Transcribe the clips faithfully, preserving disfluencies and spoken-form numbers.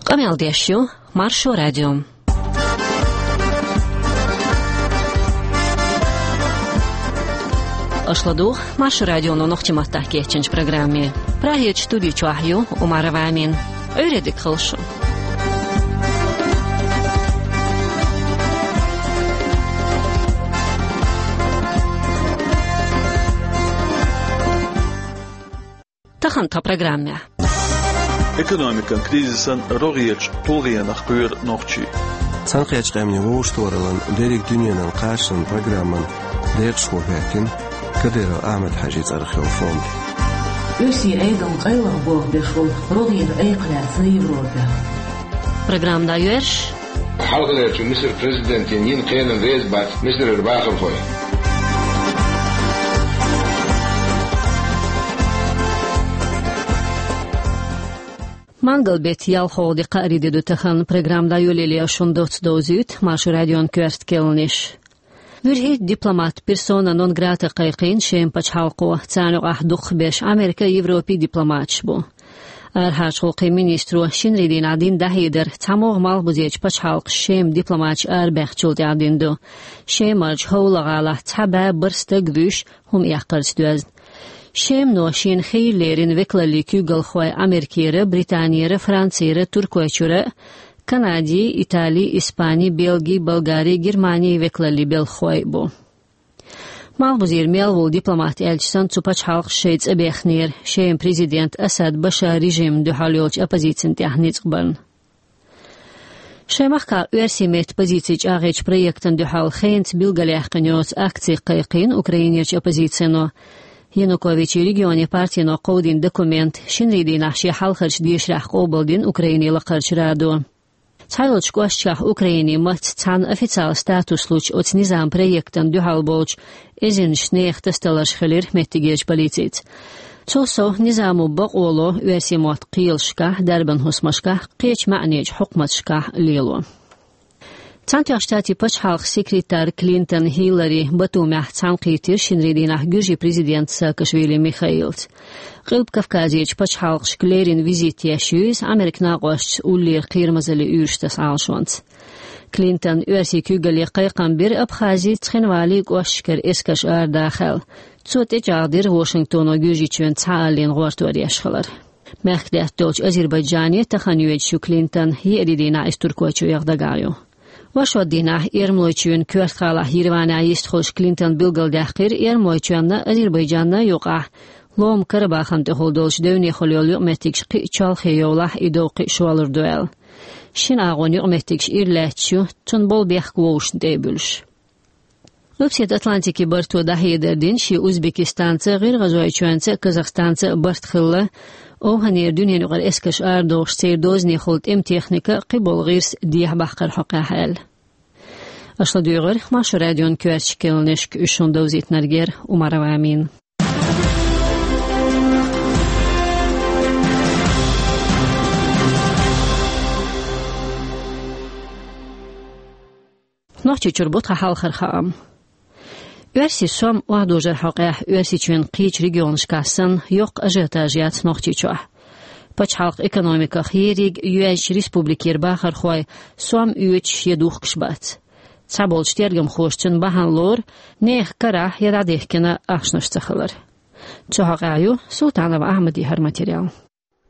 Къамел деш ю Маршо радио. Аша ладугӀу Маршо радионо нохчийн маттахь кечйинчу программе. Прагерчу студи чохь ю Умарова Амина. Ӏуьйре дика хуьлда шун. Тахана тхан программехь. Экономикан кризисан рогӀерчу тулгӀенах кхоьру нохчий. Цхьаьнакхеттачу къаьмнийн вовшахтохараллин дерриг дуьненан кхачанан программан декъашхо хӀоьттина Кадыров Ахьмад-Хьаьжин цӀарах йолу фонд. Оьрсийн Ӏедална къайлаха болх беш волу рогӀера айкх лаьцна Европехь. Программа дӀайоьрзуш. Хьалхалерчу Мисар президентан йина кхелина реза бац Мисарера бахархой. Мангал беттан ялхолгӀа де, кхаарин де ду тахана. Программа дӀайолале шуна доцца довзуьйту Маршо радион коьрта керланаш. ВуьрхӀитта дипломат персона нон грата кхайкхийна Шеман пачхьалкхо, царна юкъахь дукхахберш Америкин а, Европин а дипломаташ бу. Арахьарчу гӀуллакхийн министро шинарин дийнахь дина дӀахьедар цхьамогӀа малхбузерчу пачхьалкхаша Шеман дипломаташ арабаьхначул тӀаьхьа дина ду. Шемарчу ХӀовла-гӀалахь цхьа бӀе бархӀ стаг вуьйш, хӀума эккхарца доьзна. Шемано шена хийра лерина векалаллин куьйгалхой Америкера, Британера, Францера, Туркойчуьра, Канадин, Италин, Испанин, Бельгин, Болгарин, Германин векалаллин белхахой а бу. Малхбузера мел волу дипломат аьлча санна, цу пачхьалкхаша шайн цӀа бехнера Шеман президент Асад Башар режимна дуьхьал йолчу оппозицина тӀехь ницкъ барна. Шайн махкахь оьрсийн меттан позици чӀагӀъечу проектана дуьхьал хенца билгалъяьккхина йоцу акци кхайкхийна Украинерчу оппозицино. Януковичан регионе партино кховдийна документ шинарин дийнахь шен хьалхарчу дешарехь къобалдина Украинин Лакхарчу Радо. Цхьайолчу кӀошташкахь Украинин маттаца цхьаьна официалан статус лучу оцу низаман проектана дуьхьал болчу эзарнаш нехан тасадаларш хилира меттигерчу полицица. Цул сов, низамо бакъо ло оьрсийн мотт кхелашкахь, дарбан хӀусамашкахь, кхечу маьӀнечу хьукматашкахь лело. Цхьаьнатоьхначу Штатийн пачхьалкхан секретарь Клинтон Хиллари Батумехь цхьаьнакхийтира шинарин дийнахь гуьржийн президент Саакашвили Михаилца. Къилба Кавказерчу пачхьалкхашка леррина визит еш ю иза, Америкин накъосташца уллера кхерамазаллин уьйраш таса Ӏалашонца. Клинтона оьрсийн куьйгалле кхайкхам бира Абхазин, Цхинвалин кӀошташкара эскарш арадахар. Цо тӀечӀагӀдира Вашингтоно Гуьржийчоьнца цхьааллина гӀортор еш хилар. Мехкдаьтта долчу Азербайджане тахана йоьдуш ю Клинтон, еарин дийнахь иза Туркойчу яха дагахь ю. Оршот дийнахь Эрмалойчоьнан коьрта гӀалахь Ереванехь йистхуьлуш Клинтона билгалдаьккхира Эрмалойчоьнна, Азербайджанна юкъахь Ломан Карабахана тӀехула долчу девнехула йолу юкъаметтигаш кхин а чолхе йовлахь, и дов кхин а шолгӀа ду аьлла. Шина агӀонан юкъаметтигаш ира лаьтташ ю, цунна болу бехк вовшашна тӀе а буьллуш. Къилбаседа Атлантикин барто дӀахьедар дина шен Узбекистанца, ГӀиргӀазойчоьнца, Казахстанца барт хилла, ОвхӀанера дуьненаюкъара эскарш арадохуш, церан дозанехула тӀеман техника, кхиболу гӀирс дехьабаккхаран хьокъехь аьлла. Аша ладуьйгӀира Маршо радион коьртачу керланашка, уьш шуна довзийтинарг яра Умарова Амина. Нохчийчуьра бу тхан хьалхара хаам. Оьрсийн сом охьадожаран хьокъехь Оьрсийчоьнан кхечу регионашкахь санна, йоккха ажиотаж яц Нохчийчохь. Пачхьалкхан экономиках ерриг йоьзначу республикера бахархой сом оьцуш я духкуш бац. Цхьаболчу тергамхоша цунна бахьана лору нехан карахь я дӀадехкина ахчанаш ца хилар. Цу хьокъехь ю Султанов Ахьмадан хӀара материал.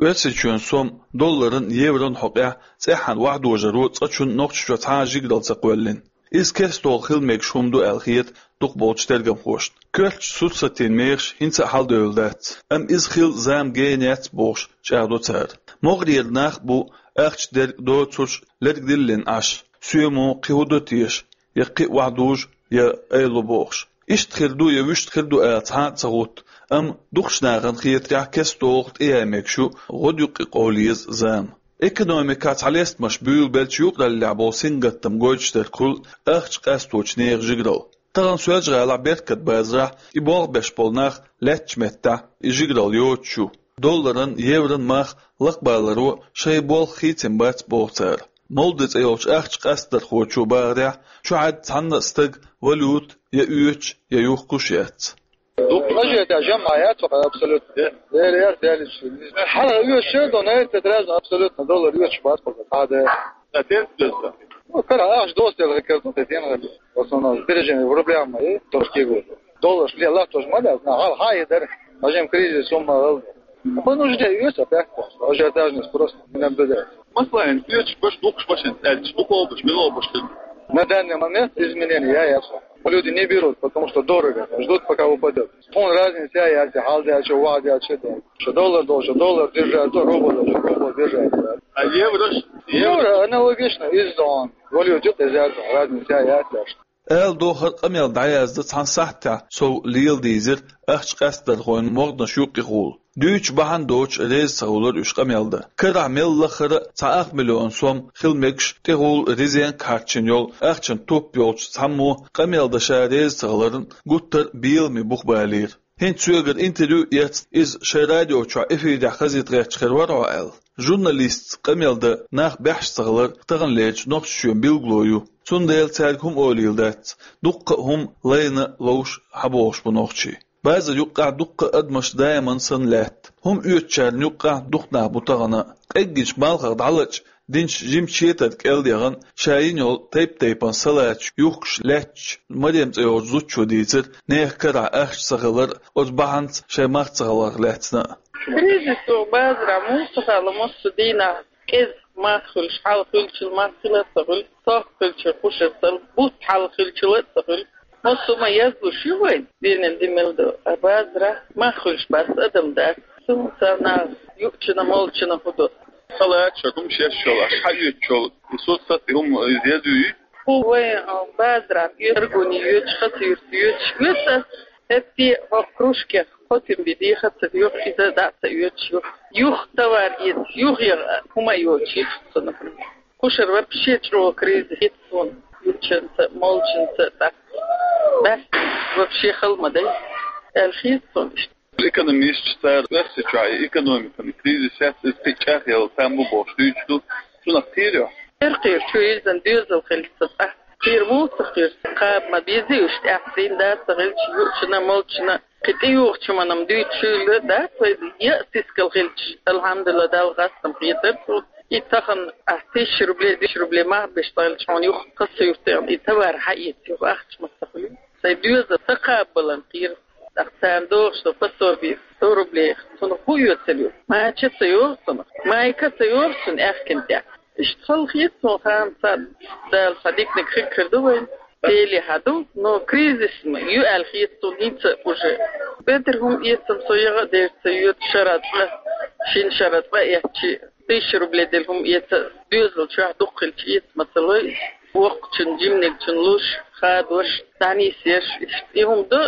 Оьрсийчоьнан сом долларан, еврон хьокъехь цӀеххьана охьадожаро цкъачунна Нохчийчохь цхьа а жигаралла ца кхоьллина. Иза кестта хила мегаш хӀума ду аьлла хета дукхахболчу тергамхошна. Коьртачу сурсатийн мехаш хӀинца а хьаладевлла дац, амма иза хила зама гена яц бохуш чӀагӀдо цара. МогӀарера нах а бу ахча дерг доцурш лерг диллина Ӏаш, соьмо кхин хӀун до теша, я кхин а охьадужу, я айло бохуш. Иштта хир ду я вуьшта хир ду ала цхьа а ца гӀутту, амма дукхачу нахана хетарехь кестта тӀеяй мегаш ю гӀодаюккъе къовла еза зама. Экономикехь цхьа лестамаш буьйлабелча юкъараллехь болу сингаттам гойтуш дерг хуьлу ахча къасточу нехан жигаралла. Тахана Соьлжа-ГӀалахь, Беркат базарахь и болх беш болу нах лаьттачу меттехь и жигаралла йоцуш ю. Долларан, еврон мах лакхабаларо шайн болх хийцина бац боху цара. Молди цӀе йолчу ахча къастдархочо бахарехь, чохь цхьанна а стага валюта я оьцуш, я юхкуш яц. Дукха ажиотаж ма яц абсолютно. Лера, лера, лера. Хьала оьшуш ду, на этот раз абсолютно доллар оьшуш бац. Хьада. Отец беза. Ну, кара ахш доста лгакар ду, тетен. В основном сбережения в рублях мои, то что говорю. Доллар шли, Аллах тоже молят, на хал хай дар. Можем кризис, сумма. По нужде оьшуш опять. Ажиотажный спрос не наблюдается. Масала, оьшуш баш, дукхаш баш, эльч, дукхаш баш, мило баш. На данный момент изменения я, я. Люди не берут, потому что дорого. Ждут, пока упадет. Тхуна разница я, я, хьалдаьлча, ваьлча, да. Что доллар должен доллар держать, то рубль должен рубль держать, да. А евро? Евро аналогично, из он. Валюта из этого, разница я, я, что. Аьла дохар къамел дӀаязда цхьан сахьтехь сов леладийзира ахча къаьстархойн могӀанаш юккъехула. Дуьйцуш бахьана доцуш реза ца хилар уьш къамел дан. Карахь мел лахара цхьа ах миллион сом хила мегаш тӀехула резенка хьарчийна йолу ахчан топ йолчу цхьаммо къамел дан ша реза ца хиларна гуттар а беламе бух балийра. ХӀинца соьгара интервью эцна, иза шайн радио чохь эфирехь хазийта гӀерташ хир вара хьо аьлла. Журналистца къамел дан нах бехаш ца хилар таханлерчу Нохчийчоьнан билгало ю. Цундела цаьрга хӀума олийла дац, дуккха а хӀума лайна ловш хьабохуш бу нохчий. Базар юккъехь дуккха а адамаш даиман санна лаьтта. ХӀума оьцучарна юккъехь дукха нах бу тахана а. Къеггинчу малхах дӀалача динчу жимачу четар кӀел яхана, ша йина йолу тайп-тайпана салаташ юхкуш лаьттачу Марем цӀе йолчу зудчо дийцира, нехан карахь ахча ца хилар оцу бахьанца шайн мах ца халарх лаьцна а. Кризис базарахь муха ца хаьа массо а дийнахь, кӀезиг мах хуьлуш, хьалха хуьлучул мах хила а ца хуьлу, сох хуьлучул кхушар ца, бутт хьалха хуьлучул а ца хуьлу. Массо а ма язлуш ю вайн, дийнан де мел ду, а базарахь мах хуьлуш бац адам дац. Цунна царна юучунна, молчунна хӀун ду? Халача хӀума шеш йолу, аша хьан оьцуш йолу, и соцсеть хӀума иза язйуьйту? ХӀу вайн, а, базарахь оьцу, Аргуне оьцуш, Хасавюрте оьцуш, оьцу ас, хӀетте хӀокху кружкех кхо тин бен дехар ца доьху, иза дӀа а ца оьцуш ю. Юха товар эца, юха яха хӀума а йоцуш ю цунах. Кхушара вообще чӀогӀа кризис хета суна, юучунца, молчунца, тӀаккха баьстина вообще хала ма дай аьлла хета суна иштта. Экономисташ цара Оьрсийчохь и экономикан кризис яц, иза кхин а чӀагӀъяла там бу бохуш дуьйцуш ду, цунах кхийра хьо? Кхийра, кхийра, чу иза доьзал хилча ца цӀа. Кхийра муха ца кхийра, кхаба ма беза уьш тӀаьхьа, цӀийнан да ца хилча, юучунна, молчунна, кхин тӀеюхучу хӀуманна дуьйцуш хуьлура, дац вай, я а сискал хилча, алхьамдулиллахӀ, Далла хастам хетара цунна. И тахана ахь тысяча рублей, десять рублей мах беш ца хилча, хьуна юха Хасавюртехь и товар хьаэца, юха ахча ма ца хуьлу. Сайн доьзал ца кхабабаларна кхийра. ТӀаккха царна догӀуш ду пособие, сто рублей, цунах хӀун оьцур ю? Мача а ца йогӀу цунах, майка а ца йогӀу цунна аьхкина тӀехь. Иштта хала хета суна ханна цхьа, Дала цхьа диканиг хир ду вайн. Деле хьан ду, но кризис ма ю аьлла хета суна хӀинца а уже. Бедар хӀума эцам со яха а дерг ца йоьду, шарахь цкъа, шина шарахь цкъа эцчи, тысяча рублей делла хӀума эца, доьзал чохь дукха хилча эца ма ца лой, воккхачун, жиманигчун луш, хадош, дӀанисъеш, иштта и хӀума ду.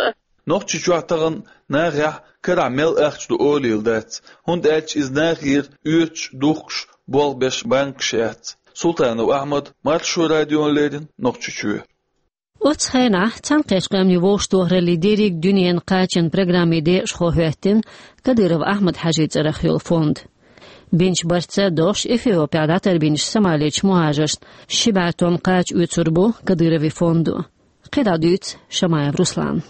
Нохчийчохь тахана нахехь карахь мел ахча ду олийла дац, хӀунда аьлча иза нахера оьцуш, духкуш, болх беш банкаш яц. Султанов Ахьмад, Маршо радиона леррина, Нохчийчоь. Оццу хенахь Цхьаьнакхеттачу Къаьмнийн Вовшахтохараллин дерриг дуьненан кхачан программин декъашхо хӀоьттина Кадыров Ахьмад-Хьаьжин цӀарах йолу фонд. Бинчу барца догӀуш Эфиопехь дӀатарбинчу Сомалерчу мухӀажаршна ши бӀе тонн кхача оьцур бу Кадыровн фондо. КхидӀа дуьйцу Шамаев Руслана.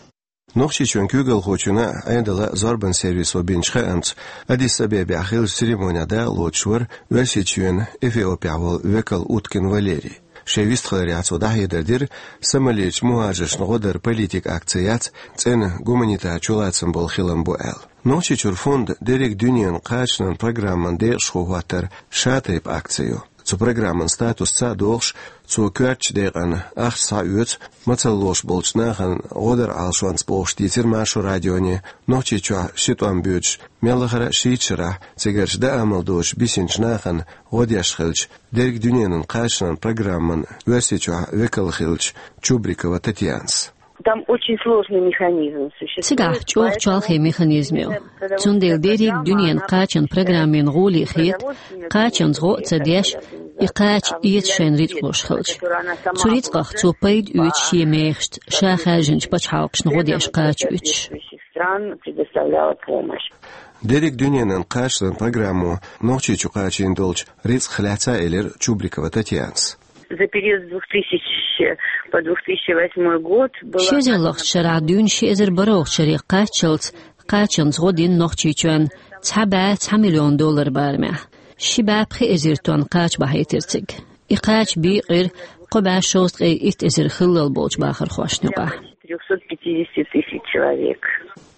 Нохчийчоьнан куьйгалхочунна а, Ӏедалан а зорбанан сервисо бинчу хаамца, Аддис-Абебехь хиллачу церемонехь дакъалоцуш вара Оьрсийчоьнан Эфиопехь волу векал Уткин Валерий. Шен вистхиларехь цо дӀахьедар дира, Сомалерчу мухӀажаршна гӀо даран политикан акци яц, цӀена гуманитар чулацам болу хилам бу аьлла. Нохчийчуьра фондан дерриг дуьненан кхачанан программан декъашхо хӀоттар шатайпа акци ю. Цу программан статус ца а дохуш, цо коьртачу декъана ахча схьаоьцу мацалла лоруш болчу нахана гӀо даран Ӏалашонца бохуш дийцира Маршо радионе Нохчийчохь ши тӀом боьдуш мел лахара а шийтта шарахь цигарчу даа амал доцуш бисинчу нахана гӀо деш хиллачу дерриг дуьненан кхачанан программан Оьрсийчохь векал хиллачу Чубрикова Татьянас. Там очень сложный механизм существует. Цигахь чӀогӀа чолхе механизм ю. Цундела дерриг дуьненан кхачан программин гӀоле хета, кхачанца гӀо а ца деш, и кхача эца шайна рицкъ луш хилча. Цу рицкъах цо пайда оьцу шен мехашца, ша хаьржинчу пачхьалкхашна гӀо деш кхача оьцуш. Стран предоставляла помощь. Дерриг дуьненан кхачанан программо Нохчийчу кхачийна долчу рицкъах лаьцна а элира Чубрикова Татьянас. За период с двух тысяч по две тысячи восьмой год было... Ши эзар лоьхача шера дуьйна ши эзар бархӀалгӀача шаре кхаччалц кхачанца гӀо дина Нохчийчоьнна цхьа бӀаь цхьа миллион доллар барамехь. Ши бӀаь пхи эзар тонна кхача бахьийтира цига. И кхача бийкъира кхо бӀаь шовзткъе итт эзар хиллал болчу бахархошна юкъахь. Трёхсот пятидесяти тысяч человек.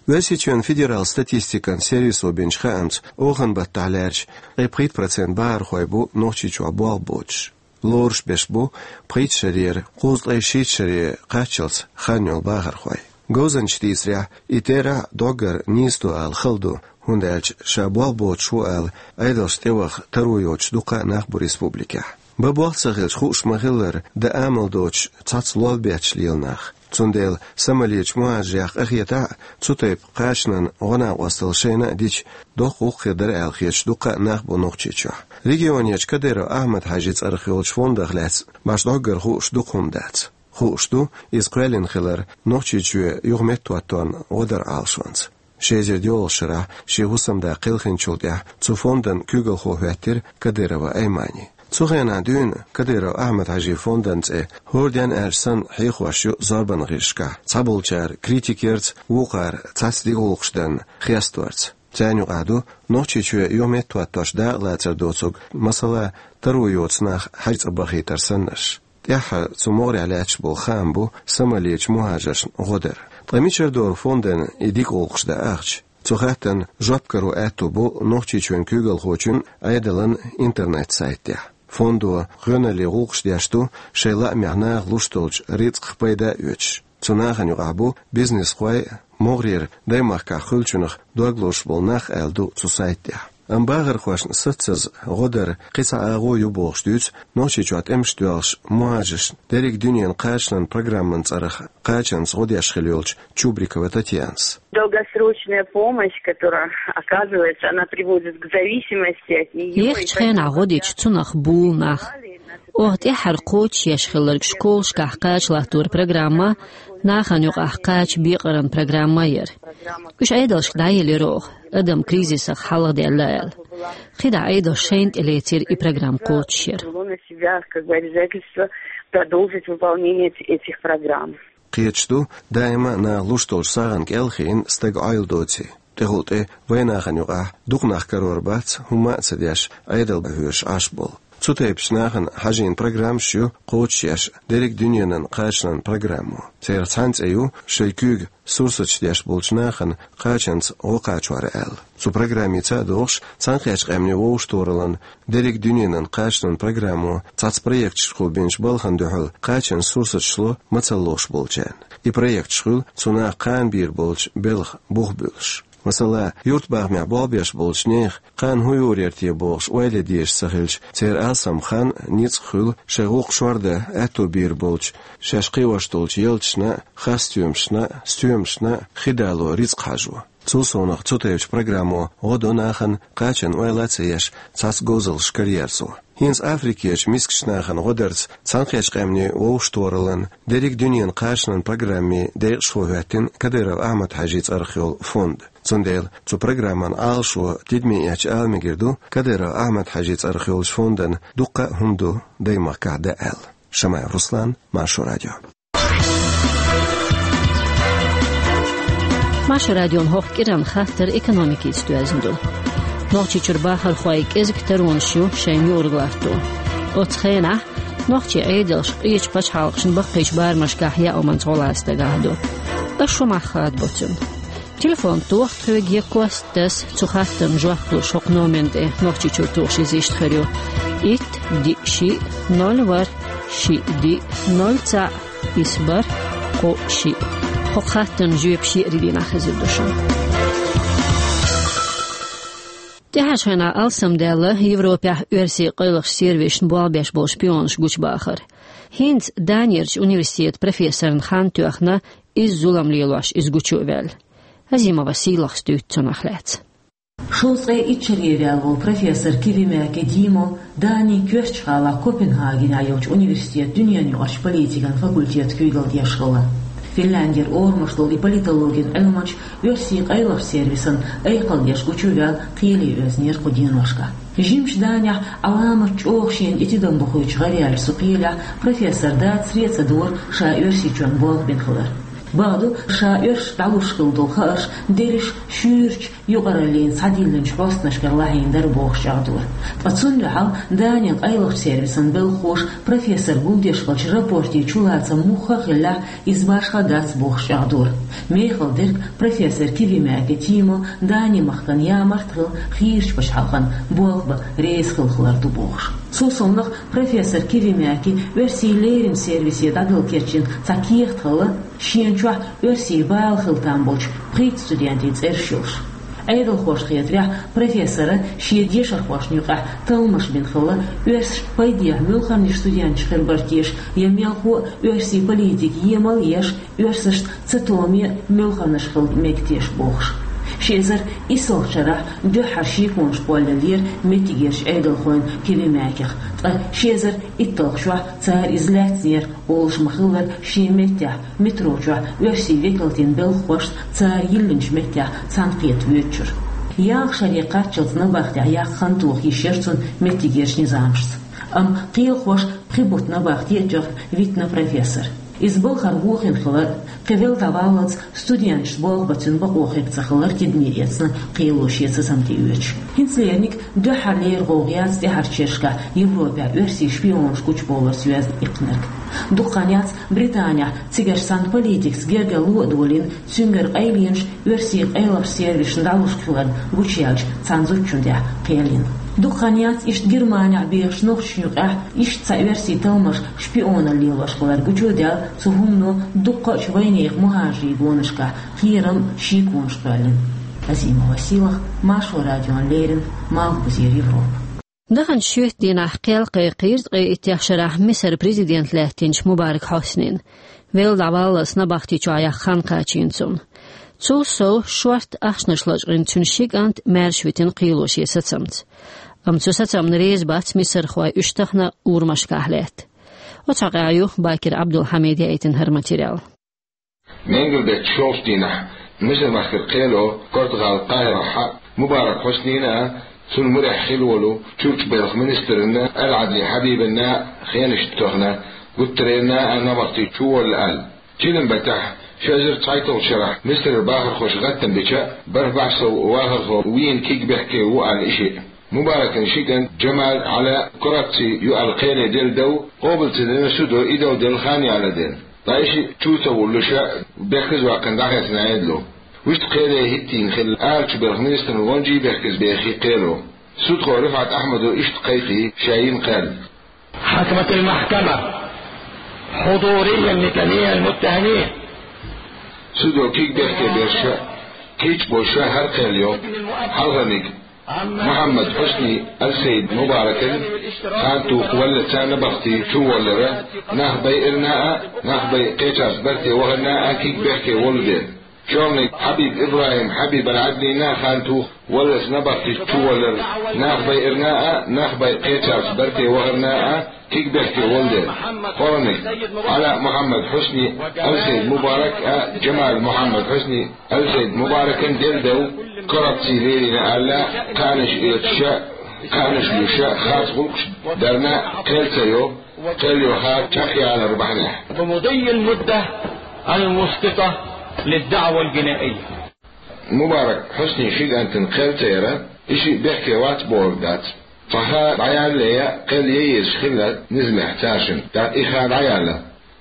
Оьрсийчоьнан федералан статистикан сервисо бинчу хаамца, оханан баттахь лаьрча, ткъе пхийтта процент бахархой бу Нохчийчохь болх боцуш. Лоруш берш бу пхийтта шарера кхузткъе шийтта шаре кхаччалц хан йолу бахархой. Говзанчаша дийцарехь, и терахь доггар нийса ду ала хала ду, хӀунда аьлча ша болх боцуш ву ала, Ӏедалшна тӀеваха таро йоцуш дуккха а нах бу республикехь. Бан болх ца хилча, хууш ма-хиллара, дан амал доцуш цхьацца лол бетташ лела нах. Цундела самалечу мухӀажарех къахетахь а, цу тайпа кхачанан гӀо-накъосталла шайна а дича, доккха гӀуллакх хир дара аьлла хеташ дуккха а нах бу Нохчийчохь. Регионерчу Кадыров Ахьмад-Хьаьжин цӀарах йолчу фондах лаьцна башха доггар хууш дукха хӀума дац. Хууш ду, иза кхоьллина хилар Нохчийчоь юха меттахӀотторна гӀо даран Ӏалашонца. Ши эзар доьалгӀачу шарахь шен хӀусамда кхелхинчул тӀаьхьа цу фондан куьйгалхо хӀоьттира Кадырова Аймани. Цу хенахь дуьйна Кадыров Ахьмад-Хьаьжин фондан цӀе, хӀора ден аьлча санна, хьехош ю зорбанан гӀирсашкахь, цхьаболчара критика ярца, вукхара цхьацца дика гӀуллакхаш дарна хесторца. Царна юкъахь ду Нохчийчоь юха меттахӀоттош дакъалацар доцург, масала, таро йоцу нах хьажцӀа бахийтар саннарш. ТӀаьххьара цу могӀарехь лаьтташ болу хаам бу самалечу мухӀажаршна гӀо дар. Ткъа мичара дара фондан и дика гӀуллакхаш дан ахча? Цу хаттарна жоп каро аьтту бу Нохчийчоьнан куьйгалхочун Ӏедалан интернет-сайтехь. Фондо гӀоьналлин гӀуллакхаш деш ду, шайн лаамехь наха луш долчу рицкъах пайда а оьцуш. Цу нахана юкъахь бу бизнесхой, могӀарера даймахкахь хуьлучунах дог лозуш болу нах аьлла ду цу сайт тӀехь. Амма бахархошна саццаза гӀо дар кхин цхьа агӀо ю бохуш дуьйцу Нохчийчохь тӀемаш доьлхуш мухӀажаршна дерриг дуьненан кхачанан программан цӀарах кхачанца гӀо деш хилла йолчу Чубрикова Татьянас. Долгосрочная помощь, которая оказывается, она приводит к зависимости от неё. Ехачу хенахь гӀо дича цунах буьйлу нах. Оха тӀаьххьара кхочушъеш хилларг школашкахь кхача латтор программа, нахана юкъахь кхача бекъаран программа яра. Уьш Ӏедалшка дӀаелира оха, адам кризисах хьалхадаьлла аьлла. КхидӀа Ӏедалша шайна тӀе лецира и программа кхочушъяр. Взяло на себя как бы обязательство продолжить выполнение эти- этих программ. Кхеташ ду, даима а наха луш долчу сагӀана кӀел а хиъна стаг Ӏойла доций. ТӀехула тӀе вайн нахана юкъахь дукха нах карор бац, хӀумма а ца деш, Ӏедал бан хьоьжуш Ӏаш болу. Цу тайпачу нахана хьажийна программаш ю кхочушъеш дерриг дуьненан кхачанан программо. Церан цхьана цӀе ю шайн куьйга сурсаташ деш болчу нахана кхачанца гӀо кхачор аьлла. Цу программица а догӀуш, Цхьаьнакхеттачу Къаьмнийн вовшахтохараллин дерриг дуьненан кхачанан программо цхьацца проекташкахула бинчу балхана дуьхьал кхачанан сурсаташ ло мацалла лохуш болчарна. И проекташ хуьлу цу наха кхана бийр болчу белхан бух буьллуш. Масала, юьртабахамехь болх беш болчу нехан кхана хӀун юьйр яра те бохуш ойла ян дезаш ца хилча, церан алсам хан, ницкъ хуьлу шайн гӀуллакх шордан аьтто бийр болчу, шаьш кхиош долчу ялташна, хасстоьмашна, стоьмашна хи дало, рицкъ хьажо. Цул совнаха цу тайпачу программо гӀо до нахана кхачанна ойла а ца еш цхьацца говзаллаш караерзо. ХӀинца Африкерчу мискачу нахана гӀо дарца Цхьаьнакхеттачу Къаьмнийн вовшахтохараллин дерриг дуьненан кхачанан программин декъашхо хӀоьттина Кадыров Ахьмад-Хьаьжин цӀарах йолу фонд. Цундела цу программан Ӏалашо тидаме эцча ала мегар ду, Кадыров Ахьмад-Хьаьжин цӀарах йолчу фондан дуккха а хӀума ду даймахкахь дан аьлла. Шамаев Руслан, Маршо радио. Маршо радион хӀокху кӀиран хаттар экономикица доьзна ду. Нохчийчуьра бахархой кӀезиг таронаш ю шайна юург латто. Оцу хенахь нохчийн Ӏедалш къечу пачхьалкхашна баккхийчу барамашкахь яа хӀуманца гӀо лаца дагахь ду. Аш шу мах хадабо цунна. Телефон тоха тхоьга я кост таса, цу хаттарна жоп луш хӀокху номерна тӀе Нохчийчуьра тухуш иза иштта хир ю: итт, диъ, шиъ, ноль, ворхӀ, шиъ, диъ, ноль, цхьаъ, исс, бархӀ, кхоъ, шиъ. ХӀокху хаттарна жоьпаш еарин дийнахь хезар ду шуна. ТӀаьхьарчу хенахь алсамдаьлла Европехь оьрсийн къайлахчу сервисашна болх беш болу шпионаш гучубахар. ХӀинца Данерчу университетан профессорна хан тоьхна, изза зулам лелош иза гучу а ваьлла. Азимова Сийлахас дуьйцу цунах лаьцна. Шовзткъе итт шаре ваьлла волу профессор Кивимяке Дима Данин коьртачу гӀалахь Копенгагенехь йолчу университетан дуьненаюкъарчу политикан факультетан куьйгалла деш хилла. Финляндера орамаш долу и политологин Ӏилманча оьрсийн къайлахчу сервисан айкхалла деш гучу а ваьлла, кхеле оьзнера кху деношкахь. Жимчу Данехь Ӏаламат чӀогӀа шена тӀе тидам бохуьйтуш гӀараяьллачу цу кхелехь профессор дацаре а ца дора ша Оьрсийчоьнна болх бина хилар. Бакъду, ша оьрсашна дӀалуш хилла долу хаарш дерриш шуьйрачу юкъараллина схьадиллинчу хьостанашкара лахьийна дара бохуш чӀагӀдора. Ткъа цунна дуьхьал Данин къайлахчу сервисан белхахоша профессор гулдеш хиллачу рапортийн чулацам муха а хиллехь, иза башха дац бохуш чӀагӀдора. Мехала дерг профессор Кивимяки Тимо Дани-махкана ямарта хилла хийрачу пачхьалкхана болх бан реза хилла хилар ду бохуш. Цул совнаха профессор Кивимяки оьрсийн леррина сервисе дӀадала кечйина цхьа кехат хилла, шена чохь оьрсийн бала хила там болчу пхийтта студентийн цӀераш йолуш. Ӏедалхошна хетарехь, профессора шен дешархошна юкъахь талламаш бина хилла, оьрсашна пайдехьа муьлханнаш студенташ хир бара теша я мелхо а оьрсийн политика емал а еш, оьрсашна цатоме а муьлханнаш хила мега теша бохуш. Ши эзар иссалгӀачу шарахь дуьххьара шеконаш кхоллаеллера меттигерчу Ӏедалхойн Кивимяких, ткъа ши эзар итталгӀачохь цара иза лаьцнера, олуш ма-хиллара, шен меттехь, метро чохь оьрсийн векалтийн белхахошца цара йиллинчу меттехь цхьаьнакхета воьдучуьра. ЯлхолгӀа шаре кхаччалц набахтехь яккха хан тоха йиш яра цунна меттигерчу низамашца. Амма кхелахоша пхи бутт набахте а тоьхна витина профессор. Иза балхара вохийна хилар, кхин велла дӀаваллалц студенташца болх бан цуьнан бакъо хирг ца хилар тидаме эцна кхело шен сацам тӀеоьцуш. ХӀинцалерниг дуьххьарлера гӀовгӀа яц тӀаьхьарчу шерашкахь Европехь оьрсийн шпионаш гучубовларца йоьзна иккхинарг. Дукха хан яц Британехь цигарчу цхьана политикаца гергарло а долийна, цуьнгара къайленаш оьрсийн къайлахчу сервисашна дӀалуш хиларна гучуяьллачу цхьана зудчунна тӀехь кхел йина. Дукха хан яц иштта Германехь бехачу нохчашна юкъахь иштта цхьа оьрсийн талламаш шпионалла лелош хилар гучудаьлла, цу хӀумано дуккхачу вайнехан мухӀажарийн гонашкахь кхерам, шеконаш кхоьллина. Азимова Сийлаха, Маршо радиона леррина, Малхбузера Европа. Даханчу шоьтан дийнахь кхел кхайкхийра ткъе иттех шарахь Мисар президент лаьттинчу Мубарак Хьоснина. Велла дӀаваллалц набахти чохь яккха хан кхачийна цунна. Цул сов, шортта ахчанаш лачкъийна цуьнан ши кӀант маьрша витина кхело шен сацамца. Амма цу сацамна реза бац мисархой, уьш тахана урамашкахь лаьтта. Оцу хьокъехь ю Бакир Ӏабдулхьамида яийтина хӀара материал. Менгалдечу шолгӀачу дийнахь Мисар-махкара кхело, Португал, Къахьирахь Мубарак Хьоснина а, цуьнан мурехь хилла волу Чурчбелхан министрна Аль-Ӏадли Хьабибна а хенаш тоьхна, гуттаренна а набахти чуволла аьлла. Чиллан баттахь, ши эзар цхьайтталгӀачу шарахь Мисарера бахархоша гӀаттам бича, бархӀ бӀе сов вахархо вийна кегбехке ву аьлла и шиъ. Мубаракан ши кӀант Джамал, Ӏала коррупци ю аьлла кхеле делла дов къобал ца дина судо, и дов делла хан яла дина. Ткъа и шиъ чу ца вуллуш а, бехказа ваьккхина дӀахецна Ӏедало. Вуьшта кхеле хӀиттийна хилла арачу белхан министран гӀончий, бехказа бехий кхело. Судхо Рифат Ахьмадо иштта кхайкхий ша йина кхел. حكمت المحكمة حضوريا لجميع المتهمين. Судо кегбехке берш а, кийча болуш а хӀара кхел йо. Хьалхарниг Мухьаммад Хьусни Аль-Сайд Мубаракан хан туху валлалц набахти чуволлара нах байарна а, нах бай кхечарца барте вахарна а кегбехке волу дела. ШолгӀаниг Хьабиб ИбрахӀим Хьабиб Аль-Ӏадлина хан туху валлалц набахти чуволлара нах байарна а, нах бай кхечарца барте вахарна а кегбехке волу дела. КхоалгӀаниг Ӏала Мухьаммад Хьусни Аль-Сайд Мубарак а, Джамал Мухьаммад Хьусни Аль-Сайд Мубаракан делла дов коррупци лелийна аьлла, кхаьнаш оьцуш а, кхаьнаш луьйш а, харц гӀуллакхаш дарна кхел ца йо, кхел йо хар чекхъялар бахьанехь. بمضي المدة المسقطة للدعوى الجنائية. Мубарак Хьуснин ши кӀантана кхел ца яра, и шиъ бехке вац бохург дац. Цхьа ха дӀаяллале а, кхел ян езаш хилла низамехь цаьршинна, тӀаккха и ха дӀаяьлла.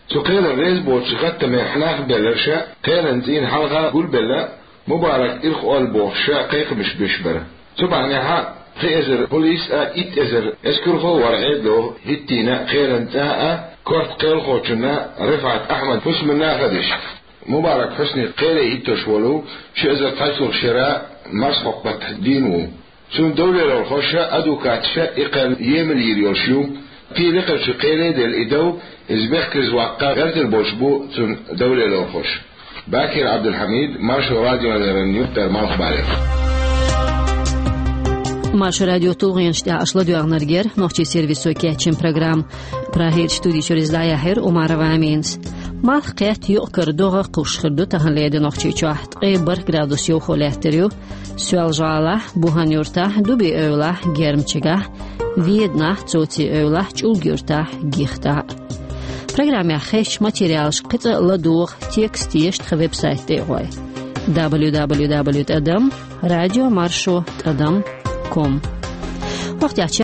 Цу кхелана реза боцуш гӀаттамехь нах белларш а, кхелан цӀийнан хьалха гулбелла, Мубарак ирхъолла бохуш а кхайкхамаш беш бара. Цу бахьанехь а пхи эзар полис а, итт эзар эскархо а вара Ӏедало хӀиттийна кхелан цӀа а, корта кхелахочунна Рифат Ахьмад Хьусманна а хадаш. Мубарак Хьусни кхеле хӀиттош волу ши эзар цхьайтталгӀачу шера марсхьокху баттахь дийна ву. Цуьнан довлелорхоша а, адвокаташа а и кхел емал йийр йолуш ю. Кхин лекхарчу кхеле а делла и дов, иза бехказа ваккха гӀертар болуш бу цуьнан довлелорхоша. Бакир Ӏабдулхьамид, Маршо радиона леррина, Юьртара Малхбалера. Маршо радион тулгӀенаш тӀехь аша ладоьгӀнарг яра нохчийн сервисо кечйина программа. Прагерчу студи чуьра иза дӀаяьхьира Умарова Аминас. Малх кхетта юкъ-кара догӀа кхувш хир ду тахан леденохчий чохь, ткъе барх градус йовхо лаьттар ю Соьлжа-ГӀалахь, Бухан-Юртахь, Дуби-Эвлахь, Гермчигахь, Веданахь, Цоци-Эвлахь, ЧӀулга-Юртахь, Гихтахь. Программехь хезачу материалашка кхин цкъа ладогӀа текст еш тхан веб-сайт тӀе а гӀой: дабл ю дабл ю дабл ю тӀадам радио маршо тӀадам ком. Вахтехь